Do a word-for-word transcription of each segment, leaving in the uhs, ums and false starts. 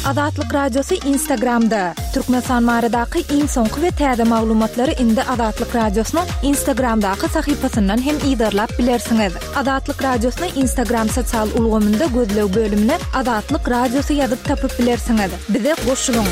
Azatlyk Radiosy Instagramda. Türkmenistan baradaky iň soňky we täze maglumatlary indi Azatlyk Radiosynyň Instagramdaky sahypasyndan hem yzarlap bilersiňiz. Azatlyk Radiosyny Instagram sosial ulgamynda gözleg bölümine Azatlyk Radiosy ýazyp tapyp bilersiňiz. Bize goşulyň.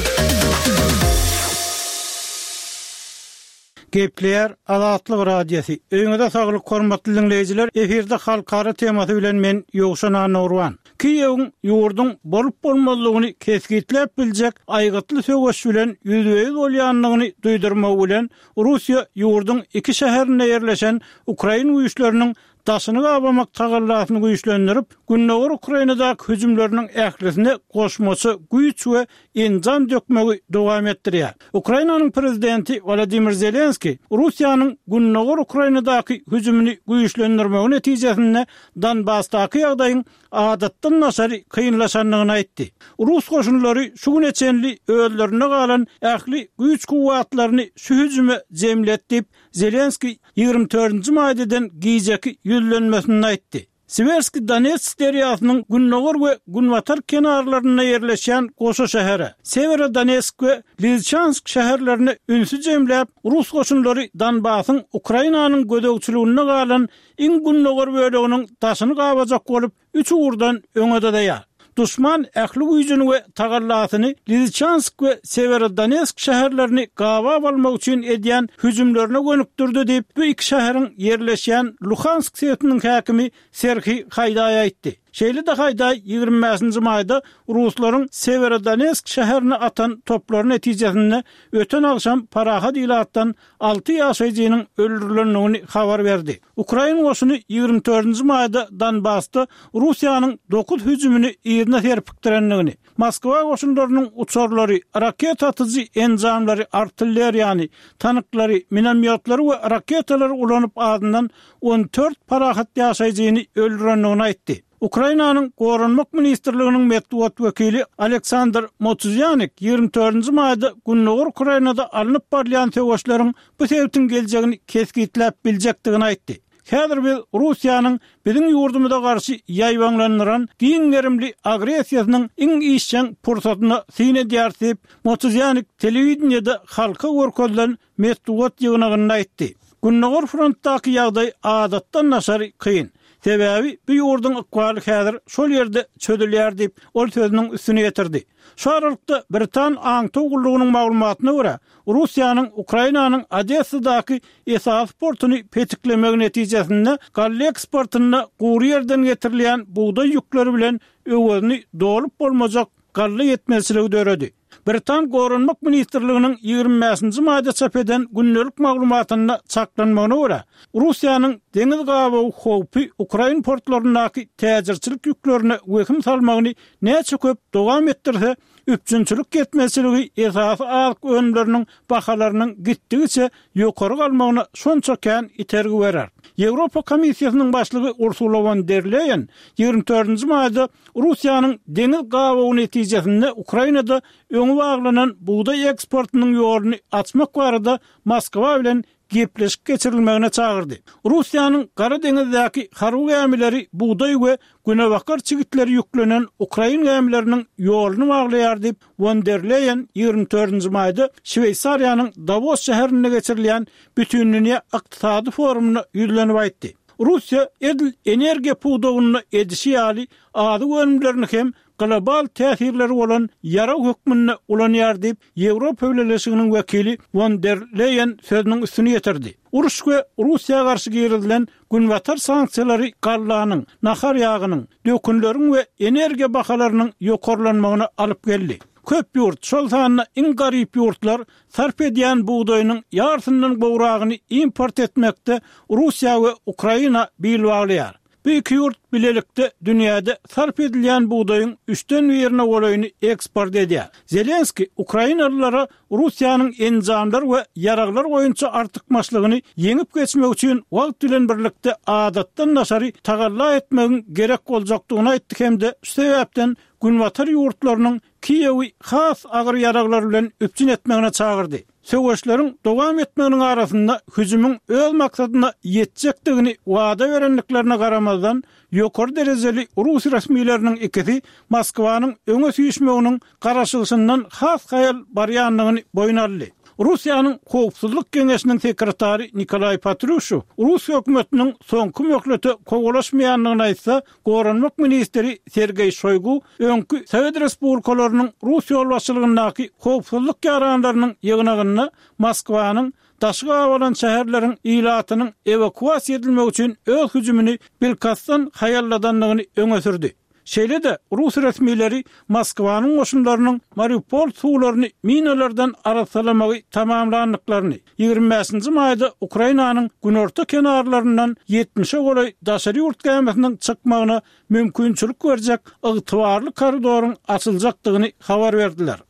Gepleýär Azatlyk Radiosy. Öýüňize saglyk hormatly diňleýjiler. Efirde halkara temasy bilen men Ýowşan Annagurban. Kiýewiň ýurduň bolup bolmazlygyny kesgitläp biljek aýgytly söweş bilen ýüzbe-ýüz bolýandygyny duýdurmak bilen Russiýa ýurduň iki şäherinde ýerleşen ukrain güýçleriniň daşyny gabamak tagallasyny güýçlendirip, Gündogar Ukrainadaky hüjümleriniň ählisine goşmaça güýç we enjam dökmegi dowam etdirýär. Ukrainanyň prezidenti Wladimir Zelenski Russiýanyň Gündogar Ukrainadaky hüjümini güýçlendirmegi netijesinde Donbasdaky ýagdaýyň adatdan daşary kynlaşandygyny aýtdy. Rus goşunlary şu güne çenli özlerinde galan ähli güýç-kuwwatlaryny şu hüjüme jemledi diýip, Zelenski ýigrimi dördünji maýda eden gijeki ýüzlenmesinde aýtdy. Siwerski Donetsk derýasynyň gündogar we günbatar kenarlarynda ýerleşýän goşa şähere, Sewerodonetsk we Lizçansk şäherlerine ünsi jemläp, rus goşunlary Donbasyň Ukrainanyň gözegçiliginde galan iň gündogar böleginiň daşyny gabajak bolup, üç ugurdan öňe dyzaýar. Duşman ähli güýjüni we tagallasyny Lizçansk we Sewerodonetsk şäherlerini gabap almak üçin edýän hüjümlerine gönükdirdi diýip, bu iki şäheriň ýerleşýän Luhansk sebitiniň häkimi Serhiý Haýdaý aýtdy. Şeýle-de Haýdaý ýigrimi bäşinji maýda ruslaryň Sewerodonetsk şäherine atan toplary netijesinde öten agşam parahat ilatdan alty ýaşaýjynyň öldürilendigini habar berdi. Ukrain goşuny ýigrimi dördünji maýda Donbasda Russiýanyň dokuz hüjümini yzyna serpikdirendigini, Moskwa goşunlarynyň uçarlary, raketa atyjy enjamlary, artilleriýany, tanklary, minomýotlary we raketalary ulanyp azyndan on dört parahat ýaşaýjyny öldürendigini aýtdy. Ukrainanyň Goranmak ministrliginiň metbugat wekili Aleksandr Motuzýanik ýigrimi dördünji maýda Gündogar Ukrainada alnyp barylýan söweşleriň bu sebitiň geljegini kesgitläp biljekdigini aýtdy. Häzir biz Russiýanyň biziň ýurdumyza garşy ýaýbaňlandyran giň gerimli agressiýasynyň iň işjeň pursatyna syn edýäris diýip, Motuzýanik telewideniýede halka görkezilen metbugat ýygnagynda aýtdy. Gündogar frontdaky ýagdaý adatdan daşary kyn. Sebäbi bu ýurduň ykbaly häzir şol ýerde çözülýär diýip, ol sözüniň üstüni ýetirdi. Şu aralykda Britan aňtaw gullugynyň maglumatyna görä, Russiýanyň Ukrainanyň Odessadaky esasy portuny petiklemegi netijesinde galla eksportynda gury ýerden getirilýän bugdaý ýükleri bilen öwezini dolup bolmajak galla ýetmezçiligi döredi. Britan Goranmak ministrliginiň ýigrimi bäşinji maýda çap eden gündelik maglumatynda çaklanmagyna görä, Russiýanyň deňiz gabawy howpy ukrain portlaryndaky täjirçilik ýüklerine wehim salmagyny näçe köp dowam etdirse, üpjünçilik ýetmezçiligi esasy azyk önümleriniň bahalarynyň gitdigiçe ýokary galmagyna şonça kän itergi berer. Ýewropa Komissiýasynyň başlygy Ursula won der Leýen ýigrimi dördünji maýda Russiýanyň deňiz gabawy netijesinde Ukrainada öňi baglanan bugdaý eksportynyň ýoluny açmak barada Moskwa bilen gepleşik geçirilmegine çagyrdy. Russiýanyň Gara deňizdäki harby gämileri bugdaý we günebakar çigitleri ýüklenen ukrain gämileriniň ýoluny baglaýar diýip, won der Leýen ýigrimi dördünji maýda Şweýsariýanyň Dawos şäherinde geçirilýän Bütindünýä ykdysady forumynda ýüzlenip aýtdy. Russiýa edil energiýa pudagynda edişi ýaly azyk önümlerini hem global täsirleri bolan ýarag hökmünde ulanýar diýip, Ýewropa Bileleşiginiň wekili won der Leýen sözüniň üstüni ýetirdi. Uruş we Russiýa garşy girizilen Günbatar sanksiýalary gallanyň, nahar ýagynyň, dökünleriň we energiýa bahalarynyň ýokarlanmagyna alyp geldi. Köp ýurt, şol sanda iň garyp ýurtlar sarp edýän bugdaýynyň ýarsyndan gowragyny import etmekde Russiýa we Ukraina bil baglaýar. Bu iki ýurt bilelikde dünýäde sarp edilýän bugdaýyň üçden birine golaýyny eksport edýär. Zelenskiý ukrainalylara Russiýanyň enjamlar we ýaraglar boýunça artykmaçlygyny ýeňip geçmek üçin wagt bilen birlikde adatdan daşary tagalla etmegiň gerek boljakdygyny aýtdy hem-de şu sebäpden Günbatar ýurtlarynyň Kiýewi has agyr ýaraglar bilen üpjün etmegine çagyrdy. Söweşleriň dowam etmeginiň arasynda hüjümiň öz maksadyna ýetjekdigini wada berendiklerine garamazdan, ýokary derejeli rus resmileriniň ikisi Moskwanyň öňe süýşmeginiň garaşylyşyndan has haýal barýandygyny boýun aldy. Russiýanyň Howpsuzlyk geňeşiniň sekretary Nikolaý Patruşew rus hökümetiniň soňky möhlete kowalaşmaýandygyny aýtsa, Goranmak ministri Sergeý Şoýgu öňki Sowet respublikalarynyň rus ýolbaşçylygyndaky howpsuzlyk ýaranlarynyň ýygnagynda Moskwanyň daşy gabalan şäherleriň ilatynyň ewakuasiýa edilmegi üçin öz hüjümini bilkastdan haýalladandygyny öňe sürdi. Şeýle-de, rus resmileri Moskwanyň goşunlarynyň Mariupol suwlaryny minalardan arassalamagy tamamlandyklaryny, ýigrimi bäşinji maýda Ukrainanyň günorta kenarlaryndan ýetmişe golaý daşary ýurt gämisiniň çykmagyna mümkinçilik berjek ygtybarly koridoryň açyljakdygyny habar berdiler.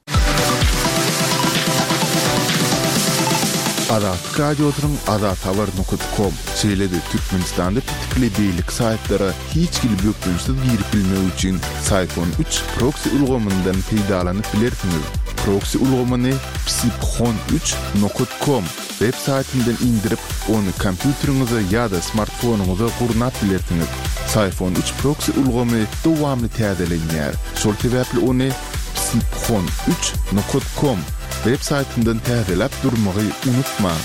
Azatlyk Radiosynyň azathabar nokat kom, şeýle-de Türkmenistanda petikli beýleki saýtlara hiç hili bökdençsiz girip bilmek üçin Syphon üç proksi ulgamyndan peýdalanyp bilersiňiz. Proksi ulgamyny psiphon üç nokat kom web saýtyndan indirip, ony kompýuteriňize ýa-da smartfonyňyza gurnap bilersiňiz. Syphon üç proksi ulgamy dowamly täzelenýär, şol sebäpli ony psiphon üç nokat kom web saýtyndan täzeläp durmagy unutmaň.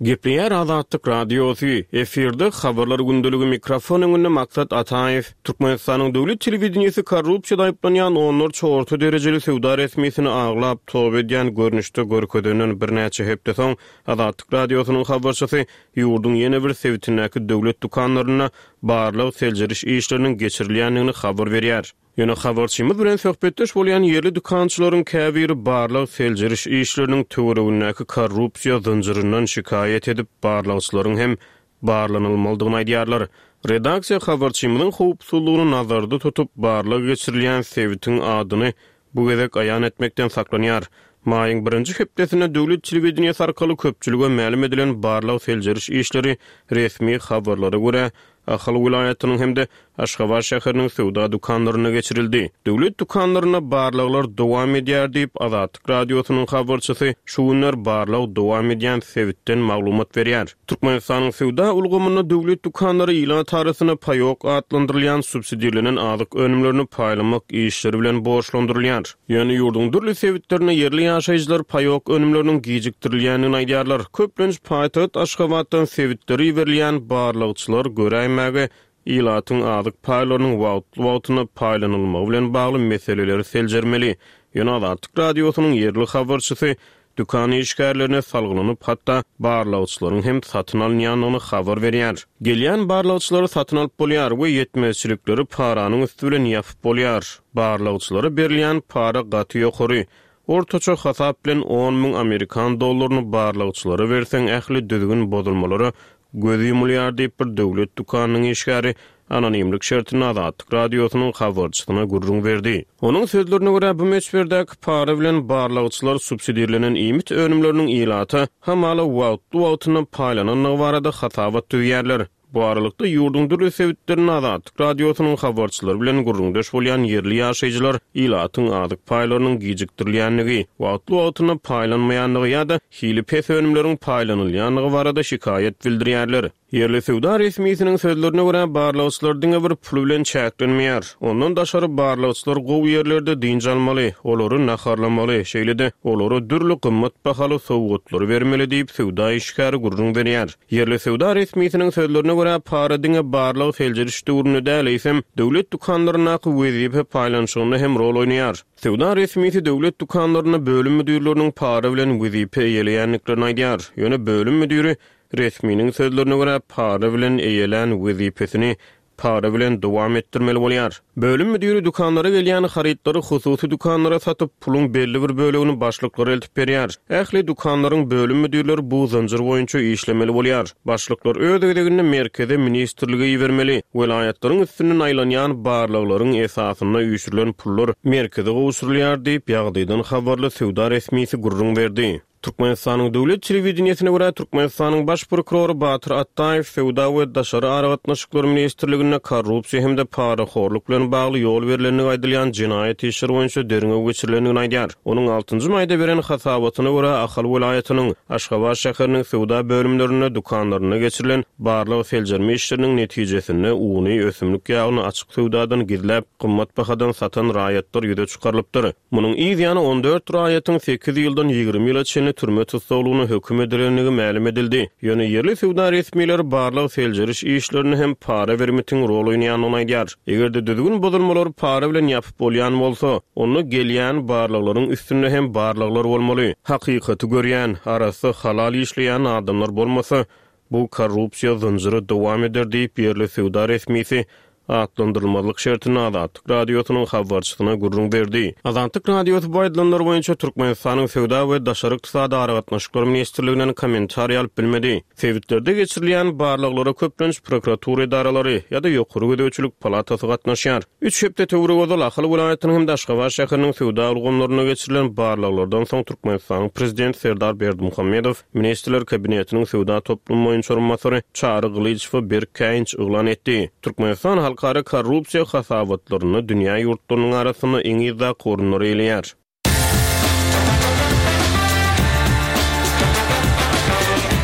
Gepleýär Azatlyk Radiosy, efirde Habarlar gündeligi, mikrofon öňünde Maksat Ataýew. Türkmenistanyň döwlet telewideniýesi korrupsiýada aýyplanýan onlarça orta derejeli söwda resmisini aglap toba edýän görnüşde görkezenden birnäçe hepde soň Azatlyk Radiosynyň habarçysy ýurduň ýene bir sebitindäki döwlet dükanlarynda barlag-seljeriş işleriniň geçirilýändigini habar berýär. Ýöne habarçymyz bilen söhbetdeş bolýan ýerli dükançylaryň käbiri barlag-seljeriş işleriniň töweregindäki korrupsiýa zynjyryndan şikaýat edip, barlagçylaryň hem barlanylmalydygyny aýdýarlar. Redaksiýa habarçymyzyň howpsuzlygyny nazarda tutup, barlag geçirilýän sebitiň adyny bu gezek aýan etmekden saklanýar. Maýyň birinji hepdesinde döwlet telewideniýesi arkaly köpçülige mälim edilen barlag-seljeriş işleri resmi habarlara görä, Ahal welaýatynyň hem-de Aşgabat şäheriniň söwda dükanlarynda geçirildi. Döwlet dükanlarynda barlaglar dowam edýär diýip, Azatlyk Radiosynyň habarçysy şu günler barlag dowam edýän sebitden maglumat berýär. Türkmenistanyň söwda ulgamynda döwlet dükanlary ilat arasynda paýok atlandyrylýan subsidirlenen azyk önümlerini paýlamak işleri bilen borçlandyrylýar. Ýöne ýurduň dürli sebitlerinde ýerli ýaşaýjylar paýok önümleriniň gijikdirilýändigini aýdýarlar. Köplenç paýtagt Aşgabatdan sebitlere iberilýän barlagçylar göräýmäge ilatyň azyk paýlarynyň wagtly-wagtynda paýlanylmagy bilen bagly meseleleri seljermeli. Ýöne Azatlyk Radiosynyň ýerli habarçysy dükan işgärlerine salgylanyp, hatda barlagçylaryň hem satyn alynýandygyny habar berýär. Gelýän barlagçylary satyn alyp bolýar we ýetmezçilikleri paranyň üsti bilen ýapyp bolýar. Barlagçylara berilýän para gaty ýokary. Ortaça hasap bilen on müň amerikan dollaryny barlagçylara berseň ähli düzgün bozulmalara göz ýumulýar diýip bir döwlet dükanynyň işgäri anonimlik şertinde Azatlyk Radiosynyň habarçysyna gürrüň berdi. Onuň sözlerine görä, bu möçberdäki para bilen barlagçylar subsidirlenen iýmit önümleriniň ilata hamala wagtly-wagtynda paýlanandygy barada hasabat düzýärler. Bu aralykda ýurduň dürli sebitlerinde Azatlyk Radiosynyň habarçylary bilen gürrüňdeş bolýan ýerli ýaşaýjylar ilatyň azyk paýlarynyň gijikdirilýändigi, wagtly-wagtynda paýlanmaýandygy ýa-da hili pes önümleriň paýlanylýandygy barada şikaýat bildirýärler. Ýerli söwda resmisiniň sözlerine görä, barlagçylar diňe bir pul bilen çäklenmeýär. Ondan daşary barlagçylar gowy ýerlerde dynç almaly, olary naharlamaly, şeýle-de olara dürli gymmat bahaly sowgatlary bermeli diýip söwda işgäri gürrüň berýär. Ýerli söwda resmisiniň sözlerine görä, para diňe barlag seljeriş döwründe däl, eýsem döwlet dükanlaryndaky wezipe paýlanyşygynda hem rol oýnaýar. Söwda resmisi döwlet dükanlarynda bölüm müdirleriniň para bilen wezipe eýeleýändiklerini aýdýar. Ýöne bölüm müdiri resminiň sözlerine görä para bilen eýelän wezipesini para bilen dowam etdirmeli bolýar. Bölüm müdiri dükanlara gelýän harytlary hususy dükanlara satyp, puluň belli bir bölegini başlyklara eltip berýär. Ähli dükanlaryň bölüm müdirleri bu zynjyr boýunça işlemeli bolýar. Başlyklar öz gezeginde merkeze ministrlige ibermeli. Welaýatlaryň üstünden aýlanýan barlaglaryň esasynda üýşürilen pullar merkeze gowşurylýar diýip, ýagdaýdan habarly söwda resmisi gürrüň berdi. Türkmenistanyň döwlet telewideniýesine görä Türkmenistanyň baş prokurory Batyr Atdaýew Söwda we daşary aragatnaşyklar ministrliginde korrupsiýa hem-de parahorluk bilen bagly ýol berilendigi aýdylýan jenaýat işleri boýunça derňew geçirilendigini aýdýar. Onuň altynjy maýda beren hasabatyna görä Ahal welaýatynyň Aşgabat şäheriniň söwda bölümlerinde dükanlarynda geçirilen barlag seljerme işleriniň netijesinde uny, ösümlik ýagyny açyk söwdadan gizläp, gymmat bahadan satan raýatlar ýüze çykarylypdyr. Munuň yz ýany on dört raýatyň sekiz ýyldan ýigrimi ýyla çenli türme tussaglygyna höküm edilendigi mälim edildi. Ýöne ýerli söwda resmileri barlag seljeriş işlerini hem para bermitiň rol oýnaýandygyny aýdýar. Eger-de düzgün bozulmalar para bilen ýapyp bolýan bolsa, onda gelýän barlaglaryň üstünde hem barlaglar bolmaly. Hakykaty görýän, arasy halal işleýän adamlar bolmasa, bu korrupsiýa zynjyry dowam eder diýip ýerli söwda resmisi atlandyrylmazlyk şertinde Azatlyk radiosynyň habarçysyna gürrüň berdi. Azatlyk radiosy bu aýdylanlar boýunça Türkmenistanyň Söwda we Daşary ykdysady aragatnaşyklar ministrliginden kommentariý alyp bilmedi. Sebitlerde geçirilýän barlaglara köplenç prokuratura edaralary ýa-da ýokary gözegçilik palatasy gatnaşýar. Üç hepde töweregi ozal Ahal welaýatynyň hem-de Aşgabat şäheriniň söwda ulgamlarynda geçirilen barlaglardan soň Türkmenistanyň prezidenti Serdar Berdimuhamedow Ministrler Kabinetiniň söwda toplumy boýunça orunbasary Çary Gylyçowa berk käýinç yglan etdi. Türkmenistan halkara korrupsiýa hasabatlarynda dünýä ýurtlarynyň arasynda iň yzdaky orunlary eýeleýär.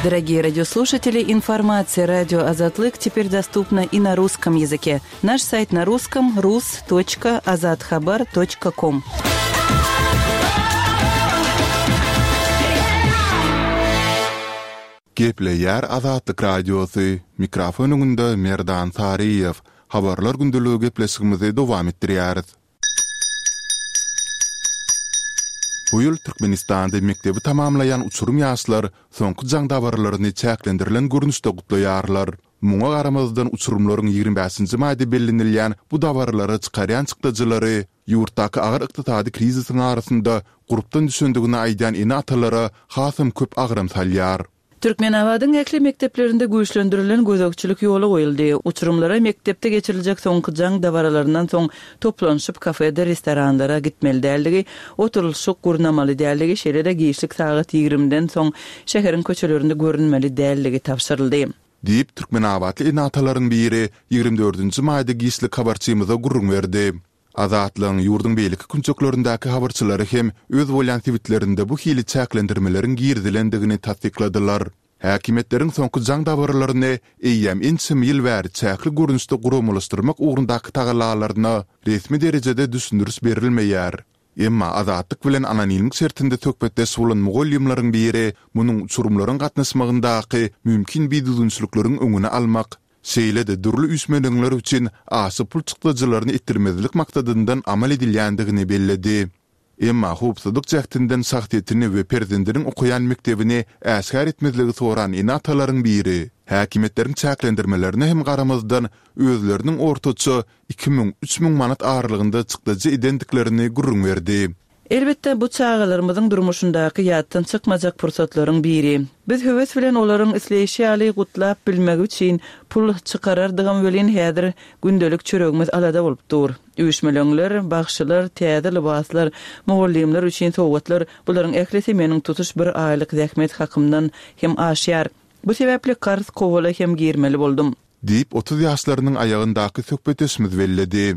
Дорогие радиослушатели, информация радио Азатлык теперь доступна и на русском языке. Наш сайт на русском рус точка азатхабар точка ком. Gepleýär Azatlyk radiosy, mikrofon öňünde Merdan Saryýew. Habarlar gündeligi gepleşigimizi dowam etdirýäris. Bu ýyl Türkmenistanda mekdebi tamamlaýan uçurum ýaşlar soňky jaň dabaralaryny çäklendirilen görnüşde gutlaýarlar. Muňa garamazdan uçurumlaryň ýigrimi bäşinji maýda bellenilýän bu dabaralara çykarýan çykdajylary ýurtdaky agyr ykdysady krizisiň arasynda gurpdan düşendigini aýdýan ene-atalara hasam köp agram salýar. Türkmenabadyň ähli mekdeplerinde güýçlendirilen gözegçilik ýoly goýuldy. Uçurumlara mekdepde geçiriljek soňky jaň dabaralaryndan soň toplanyşyp kafede, restoranlara gitmeli däldigi, oturylyşyk gurnamaly däldigi, şeýle-de giçlik sagat ýigrimiden soň şäheriň köçelerinde görünmeli däldigi tabşyryldy. Diýip Türkmenabatly ene-atalaryň biri ýigrimi dördünji maýda giçlik habarçymyza gürrüň berdi. Azatlygyň ýurduň beýleki künjeklerindäki habarçylary hem öz bolýan sebitlerinde bu hili çäklendirmeleriň girizilendigini tassykladylar. Häkimiýetleriň soňky jaň dabaralaryny eýýäm ençeme ýyl bäri çäkli görnüşde guramalaşdyrmak ugrundaky tagallalaryna resmi derejede düşündiriş berilmeýär. Emma Azatlyk bilen anonimlik şertinde söhbetdeş bolan mugallymlaryň biri munuň uçurumlaryň gatnaşmagyndaky mümkin bidüzgünçilikleriň öňüni almak, şeýle-de dürli üýşmeleňler üçin aşa pul çykdajylaryny etdirmezlik maksadyndan amal edilýändigini belledi. Emma howpsuzlyk jähtinden şahsyýetini we perzendiniň okaýan mekdebini äşgär etmezligi soran ene-atalaryň biri häkimiýetleriň çäklendirmelerine hem garamazdan özleriniň ortaça iki müň, üç müň manat aralygynda çykdajy edendiklerini gürrüň berdi. Elbetde bu çagalarymyzyň durmuşyndaky ýatdan çykmajak pursatlaryň biri. Biz höwes bilen olaryň isleýşi ýaly gutlap bilmegi üçin pul çykarardygam welin häzir gündelik çöregimiz alada bolup dur. Üýşmeleňler, bagşylar, täze lybaslar, mugallymlar üçin sowgatlar, bularyň ählisi meniň tutuş bir aýlyk zähmet hakymdan hem aşýar. Bu sebäpli karz kowala hem girmeli boldum. Diýip otuz ýaşlarynyň aýagyndaky söhbetdeşimiz belledi.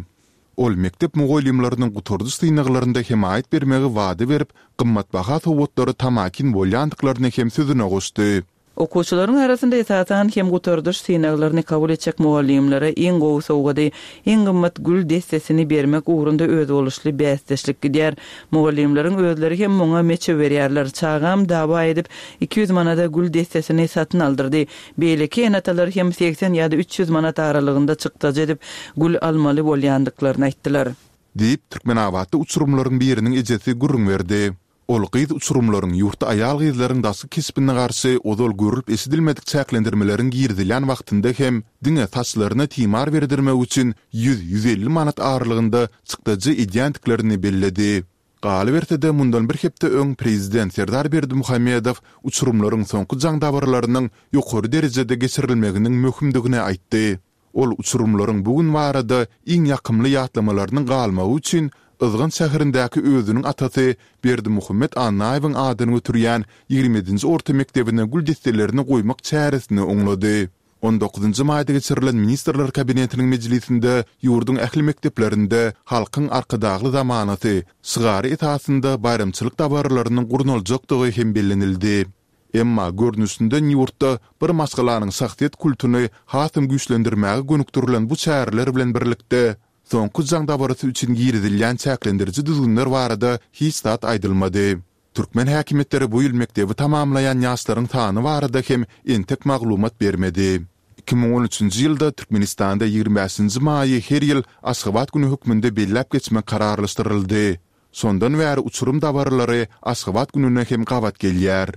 Ol mekdep mugallymlarynyň gutardyş synaglarynda hemaýat bermegi wada berip, gymmatbaha sowgatlary tamakin bolýandyklaryny hem sözüne goşdy. Okuwçylaryň arasynda esasan hem gutardyş synaglaryny kabul etjek mugallymlara iň gowy sowgady, iň gymmat gül dessesini bermek ugrunda özboluşly bäsdeşlik gidýär. Mugallymlaryň özleri hem muňa meçe berýärler. Çagam dawa edip iki ýüz manada gül dessesini satyn aldyrdy. Beýleki ene-atalar hem seksen ýa-da üç ýüz manat aralygynda çykdajy edip gül almaly bolýandyklaryny aýtdylar. Diýip Türkmenabatda uçurumlaryň biriniň ejesi gürrüň berdi. Ol gyz uçurumlaryň ýurtda aýal gyzlaryň daşky keşbine garşy ozal görülip eşidilmedik çäklendirmeleriň girizilýän wagtynda hem diňe saçlaryna timar berdirmek üçin ýüz, ýüz elli manat aralygynda çykdajy edýändiklerini belledi. Galyberse-de mundan bir hepde öň prezident Serdar Berdimuhamedow uçurumlaryň soňky jaň dabaralarynyň ýokary derejede geçirilmeginiň möhümdigini aýtdy. Ol uçurumlaryň bu gün barada iň ýakymly ýatlamalarynyň galmagy üçin Yzgant şäherindäki özüniň atasy Berdimuhamet Annaýewiň adyny göterýän ýigrimi ýedinji orta mekdebine gül desselerini goýmak çäresini oňlady. On dokuzynjy maýda geçirilen Ministrler Kabinetiniň mejlisinde ýurduň ähli mekdeplerinde Halkyň Arkadagly zamanasy şygary esasynda baýramçylyk dabaralarynyň gurnaljakdygy hem bellenildi. Emma görnüşinden ýurtda bir maşgalanyň şahsyýet kultuny hasam güýçlendirmäge gönükdirilen bu çäreler bilen birlikde, soňky jaň dabarasy üçin girizilýän çäklendiriji düzgünler barada hiç zat aýdylmady. Türkmen häkimiýetleri bu ýyl mekdebi tamamlaýan ýaşlaryň sany barada hem entek maglumat bermedi. Iki müň on üçünji ýylda Türkmenistanda ýigrimi bäşinji maýy her ýyl Aşgabat güni hökmünde belläp geçmek kararlaşdyryldy. Şondan bäri uçurym dabaralary Aşgabat gününe hem gabat gelýär.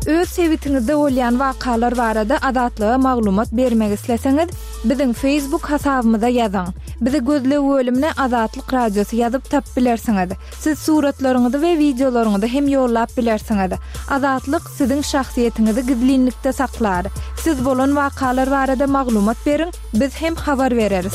Öz sebitiňizde bolýan wakalar barada Azatlyga maglumat bermek isleseňiz, biziň Facebook hasabymyza ýazyň. Bizi gözleg bölümine Azatlyk Radiosy ýazyp tapyp bilersiňiz. Siz suratlaryňyzy we wideolaryňyzy hem ýollap bilersiňiz. Azatlyk siziň şahsyýetiňizi gizlinlikde saklar. Siz bolan wakalar barada maglumat beriň, biz hem habar bereris.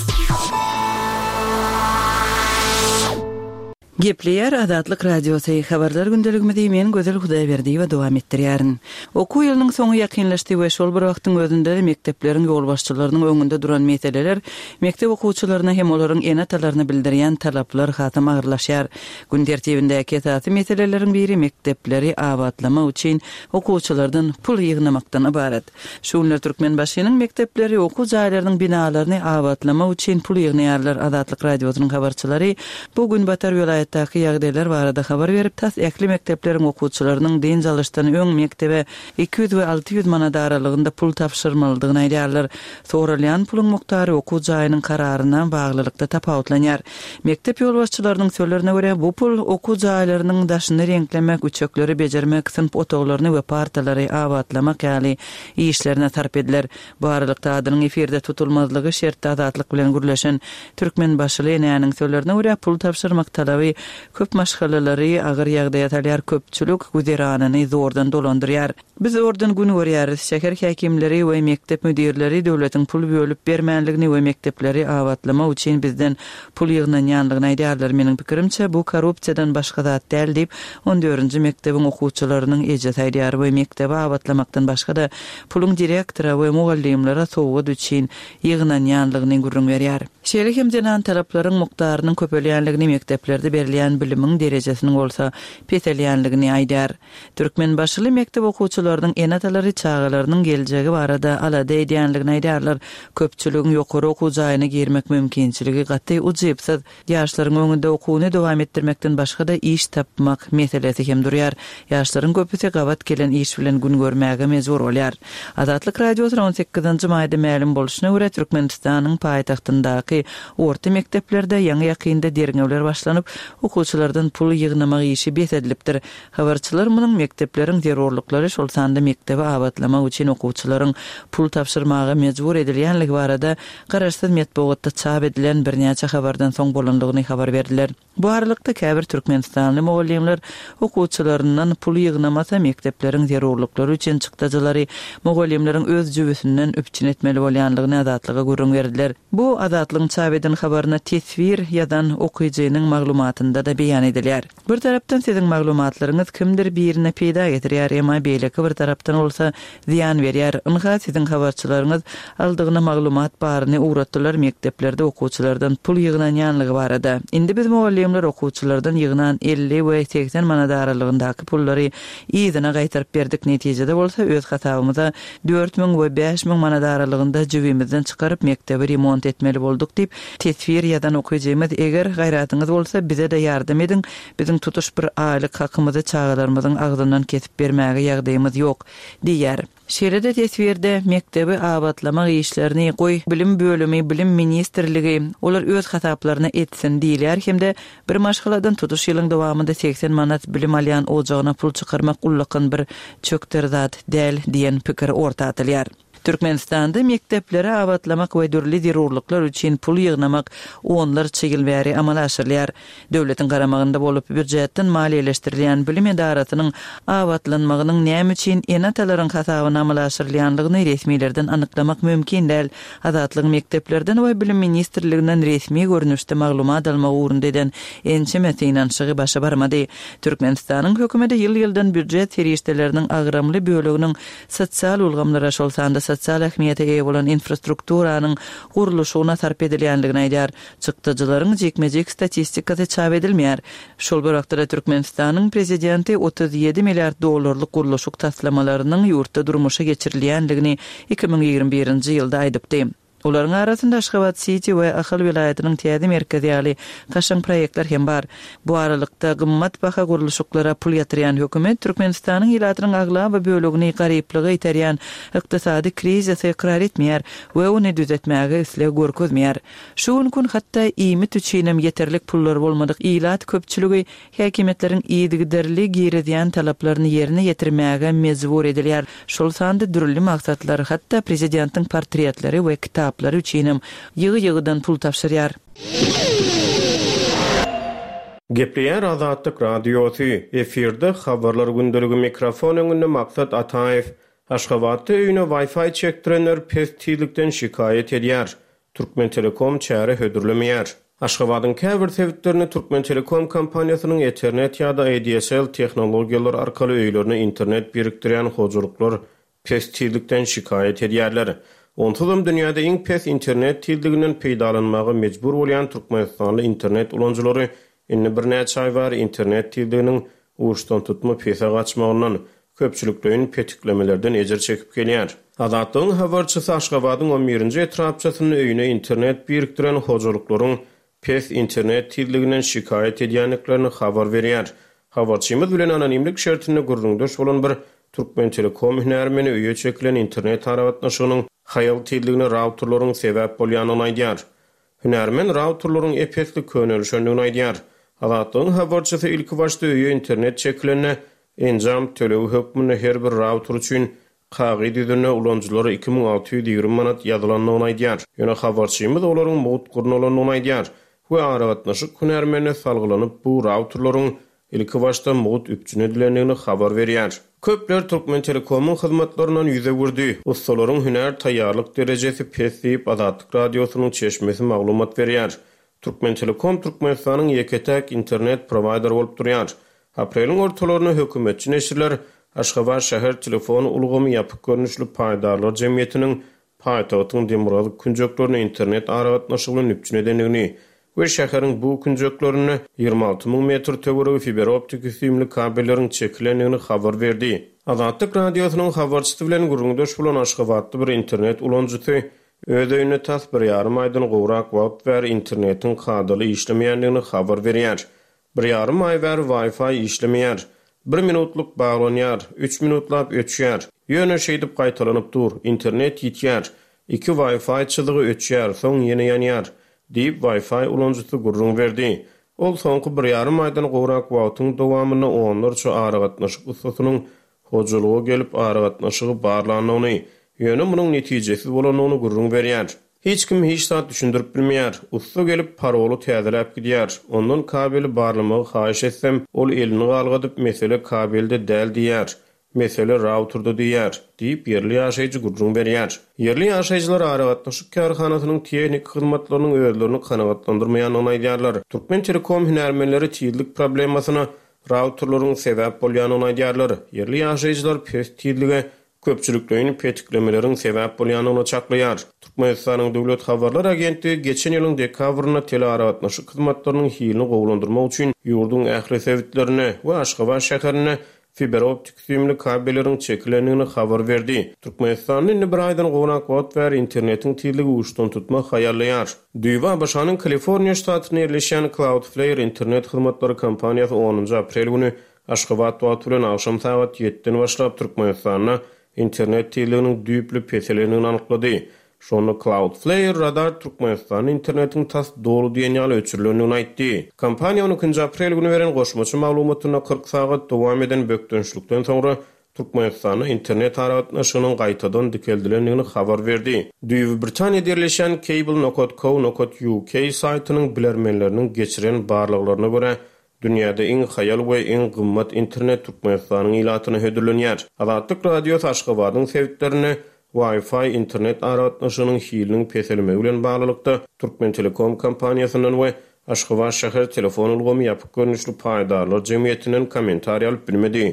Gepleýär Azatlyk Radiosy, habarlar gündeligimizi men Gözel Hudaýberdiýewa dowam etdirýärin. Okuw ýylynyň soňy ýakynlaşdy we şol bir wagtyň özünde mekdepleriň ýolbaşçylarynyň öňünde duran meseleler mekdep okuwçylaryna hem olaryň ene-atalaryna bildirýän talaplar hasam agyrlaşýar. Gün tertibindäki esasy meseleleriň biri mekdepleri abatlamak üçin okuwçylardan pul ýygnamakdan ybarat. Şu günler Türkmenbaşynyň mekdepleri okuw jaýlarynyň binalaryny abatlamak üçin pul ýygnaýarlar. Azatlyk Radiosynyň habarçylary bu Günbatar welaýatdaky ýagdaýlar barada habar berip, tas ähli mekdepleriň okuwçylarynyň dynç alyşdan öň mekdebe iki ýüz we alty ýüz manat aralygynda pul tabşyrmalydygyny aýdýarlar. Soralýan puluň mukdary okuw jaýynyň kararyna baglylykda tapawutlanýar. Mekdep ýolbaşçylarynyň sözlerine görä, bu pul okuw jaýlarynyň daşyny reňklemek, üçekleri bejermek, synp otaglaryny we partalary abatlamak ýaly işlerine sarp ediler. Bu aralykda adynyň efirde tutulmazlygy şertde Azatlyk bilen gürleşen Türkmenbaşyly enäniň sözlerine görä, pul tabşyrmak talaby köp maşgalalary agyr ýagdaýa salýar, köpçülik güzeranyny zordan dolandyrýar. Biz zordan gün görýäris. Şäher häkimleri we mekdep müdirleri döwletiň pul bölüp bermänligini we mekdepleri abatlamak üçin bizden pul ýygnanýanlygyny aýdýarlar. Meniň pikirimçe, bu korrupsiýadan başga zat däl diýip, on dördünji mekdebiň okuwçylarynyň ejesi aýdýar we mekdebi abatlamakdan başga-da puluň direktora we mugallymlara sowgat üçin ýygnanýanlygyny gürrüň berýär. Şeýle hem zenan talaplaryň mukdarynyň köpelýänligini, mekdeplerde berilýän bilimiň derejesiniň bolsa peselýänligini aýdýar. Türkmenbaşyly mekdep okuwçylarynyň ene-atalary çagalarynyň geljegi barada alada edýänligini aýdýarlar. Köpçüligiň ýokary okuw jaýyna girmek mümkinçiligi gaty ujypsyz. Ýaşlaryň öňünde okuwyny dowam etdirmekden başga-da iş tapmak meselesi hem durýar. Ýaşlaryň köpüsi gabat gelen iş bilen gün görmäge mejbur bolýar. Azatlyk Radiosyna on sekizinji maýda mälim bolşuna görä, Türkmenistanyň paýtagtyndaky orta mekdeplerde ýaňy ýakynda derňewler başlanyp, okuwçylardan pul ýygnamak işi bes edilipdir. Habarçylar munuň mekdepleriň zerurlyklary, şol sanda mekdebi abatlamak üçin okuwçylaryň pul tabşyrmaga mejbur edilýänligi barada garaşsyz metbugatda çap edilen birnäçe habardan soň bolandygyny habar berdiler. Bu aralykda käbir türkmenistanly mugallymlar okuwçylaryndan pul ýygnamasa mekdepleriň zerurlyklary üçin çykdajylary mugallymlaryň öz jübüsinden üpjün etmeli bolýanlygyny Azatlyga gürrüň berdiler. Bu Azatlygyň çap eden habaryna teswir ýazan okyjynyň maglumatynda-da beýan edilýär. Bir tarapdan siziň maglumatlaryňyz kimdir birine peýda getirýär, emma beýleki bir tarapdan bolsa zyýan berýär. Ynha siziň habarçylaryňyz aldygyna maglumat baryny ugratdylar mekdeplerde okuwçylardan pul ýygnanýanlygy barada. Indi biz mugallymlar okuwçylardan ýygnan elli we segsen manat aralygyndaky pullary yzyna gaýtaryp berdik. Netijede bolsa öz hasabymyza dört müň we bäş müň manat aralygynda jübimizden çykaryp mekdebi remont etmeli bolduk diýip teswir ýazan okyjymyz, eger gaýratyňyz bolsa bize-de ýardam ediň, biziň tutuş bir aýlyk hakymyzy çagalarymyzyň agzyndan kesip bermäge ýagdaýymyz ýok diýýär. Şeýle-de teswirde mekdebi abatlamak işlerini goý bilim bölümi, bilim ministrligi olar öz hasaplaryna etsin diýilýär hem-de bir maşgaladan tutuş ýylyň dowamynda segsen manat bilim alýan ojagyna pul çykarmak ullakan bir çökder zat däl diýen pikir orta atylýar. Türkmenistanda mekdepleri abatlamak we dürli zerurlyklar üçin pul ýygnamak onlarça ýyl bäri amala aşyrylýar. Döwletiň garamagynda bolup býujetden maliýeleşdirilýän bilim edarasynyň abatlanmagynyň näme üçin ene-atalaryň hasabyna amala aşyrylýanlygyny resmilerden anyklamak mümkin däl. Azatlygyň mekdeplerden we bilim ministrliginden resmi görnüşde maglumat almak ugrunda eden ençeme synanyşygy başa barmady. Türkmenistanyň hökümeti ýyl-ýyldan býujet serişdeleriniň agramly böleginiň sosial ulgamlara, şol sanda sosial ähmiýete eýe bolan infrastrukturanyň gurluşygyna sarp edilýänligini aýdýar. Çykdajylaryň jikme-jik statistikasy çap edilmeýär. Şol bir wagtda Türkmenistanyň prezidenti otuz ýedi milliard dollarlyk gurluşyk taslamalarynyň ýurtda durmuşa geçirilýänligini iki müň ýigrimi birinji ýylda aýdypdy. Olaryň arasynda Aşgabat City we Ahal welaýatynyň täze merkezi ýaly kaşaň proýektler hem bar. Bu aralykda gymmat baha gurluşyklara pul ýatyrýan hökümet Türkmenistanyň ilatynyň aglaba bölegini garyplyga iterýän ykdysady krizisi ykrar etmeýär we ony düzetmäge isleg görkezmeýär. Şu gün gün hatda iýmit üçinem ýeterlik pullar bolmadyk ilat köpçüligi häkimiýetleriň yzygiderli girizýän talaplaryny ýerine ýetirmäge mejbur edilýär. Şol sanda dürli maksatlar, hatda prezidentiň portretleri we kitaplary üçinem ýygy-ýygydan pul tabşyrýar. Gepleýär Azatlyk Radiosy, efirde habarlar gündeligi, mikrofon öňünde Maksat Ataýew. Aşgabatda öýüne Wi-Fi çekdirenler pes tizlikden şikaýat edýär. Türkmentelekom çäre hödürlemeýär. Aşgabadyň käbir sebitlerinde Türkmentelekom kompaniýasynyň Ethernet ýa-da A D S L tehnologiýalary arkaly öýlerine internet birikdirýän hojalyklar pes tizlikden şikaýat edýärler. Onsuzam dünýäde iň pes internet tizliginden peýdalanmaga mejbur bolýan Türkmenistanly internet ulanyjylary indi birnäçe aý bäri internet tizliginiň uçdan tutma pese gaçmagyndan, köpçülikleýin petiklemelerden ejir çekip gelýär. Azatlygyň habarçysy Aşgabadyň on birinji etrapçasynda öýüne internet birikdiren hojalyklaryň pes internet tizliginden şikaýat edýändiklerini habar berýär. Habarçymyz bilen anonimlik şertinde gürrüňdeş bolan bir Türkmentelekom hünärmeni öýe çekilen internet aragatnaşygynyň haýal tizligine routerlaryň sebäp bolýanyny aýdýar. Hünärmen routerlaryň epesli könelişendigini aýdýar. Azatlygyň habarçysy ilki başda öýe internet çekilende enjam tölegi hökmünde her bir router üçin kagyz ýüzünde ulanyjylara iki müň alty ýüz ýigrimi manat ýazylandygyny aýdýar. Ýöne habarçymyz olaryň mugt gurnalandygyny aýdýar we aragatnaşyk hünärmenine salgylanyp bu routerlaryň ilki başda mugt üpjün edilendigini habar berýär. Köpler Türkmentelekomyň hyzmatlaryndan ýüz öwürdi. Ussalaryň hünär taýýarlyk derejesi pes diýip Azatlyk Radiosynyň çeşmesi maglumat berýär. Türkmentelekom Türkmenistanyň ýeke-täk internet prowaýderi bolup durýar. Apreliň ortalarynda hökümetçi neşirler Aşgabat şäher telefon ulgamy ýapyk görnüşli paýdarlar jemgyýetiniň paýtagtyň demirgazyk künjeklerine internet aragatnaşygy bilen üpjün edendigini we şäheriň bu künjeklerinde ýigrimi alty müň metr töweregi fiberoptiki süýümli kabelleriň çekilendigini habar berdi. Azatlyk Radiosynyň habarçysy bilen gürrüňdeş bolan Aşgabatly bir internet ulanyjysy öz öýünde tas bir ýarym aýdan gowrak wagt bäri internetiň kadaly işlemeýändigini habar berýär. Bir ýarym aý bäri Wi-Fi işlemeýär. Bir minutlyk baglanýar, üç minutlap öçýär. Ýöne şeýdip gaýtalanyp dur, internet ýitýär. Iki Wi-Fi çyzygy öçýär, soň ýene ýanýar, diýip Wi-Fi ulanyjysy gürrüň berdi. Ol soňky bir ýarym aýdan gowrak wagtyň dowamynda onlarça aragatnaşyk ussasynyň hojalyga gelip aragatnaşygy barlandygyny, ýöne munuň netijesiz bolandygyny gürrüň berýär. Hiç kim hiç zat düşündirip bilmeýär. Ussa gelip paroly täzeläp gidýär. Ondan kabeli barlamagy haýyş etsem, ol elini galgadyp mesele kabelde däl diýär. Mesele routerda diýär, diýip ýerli ýaşaýjy gürrüň berýär. Ýerli ýaşaýjylar aragatnaşyk kärhanasynyň tehnik hyzmatlarynyň özlerini kanagatlandyrmaýandygyny aýdýarlar. Türkmentelekom hünärmenleri tizlik problemasyna routerlaryň sebäp bolýandygyny aýdýarlar. Ýerli ýaşaýjylar pes tizlige köpçülikleýin petiklemeleriň sebäp bolýandygyny çaklaýar. Türkmenistanyň Döwlet Habarlar Agentligi geçen ýylyň dekabrynda telearagatnaşyk hyzmatlarynyň hilini gowulandyrmak üçin ýurduň ähli sebitlerine we Aşgabat şäherine fiberoptik süýümli kabelleriň çekilendigini habar berdi. Türkmenistanda indi bir aýdan gowrak wagt bäri internetiň tizligi uçdan tutma haýallaýar. Düýbi A B Ş-nyň Kaliforniýa ştatynda ýerleşýän Cloudflare internet hyzmatlary kompaniýasy onunjy aprel güni Aşgabat wagty bilen agşam sagat ýediden başlap Türkmenistanda internet tizliginiň düýpli peselendigini anyklady. Şonda Cloudflare radar Türkmenistanda internetiň tas doly diýen ýaly öçürilendigini aýtdy. Kompaniýa on ikinji aprel güni beren goşmaça maglumatynda kyrk sagat dowam eden bökdençlikden soňra Türkmenistanda internet aragatnaşygynyň gaýtadan dikeldilendigini habar berdi. Düýbi Britaniýada ýerleşýän Cable nokat co nokat uk saýtynyň bilermenleriniň geçiren barlaglaryna görä, dünýäde iň haýal we iň gymmat internet Türkmenistanyň ilatyna hödürlenýär. Azatlyk Radiosy Aşgabadyň sebitlerinde Wi-Fi internet aragatnaşygynyň hiliniň peselmegi bilen baglylykda Türkmentelekom kompaniýasyndan we Aşgabat şäher telefon ulgamy ýapyk görnüşli paýdarlar jemgyýetinden kommentariý alyp bilmedi.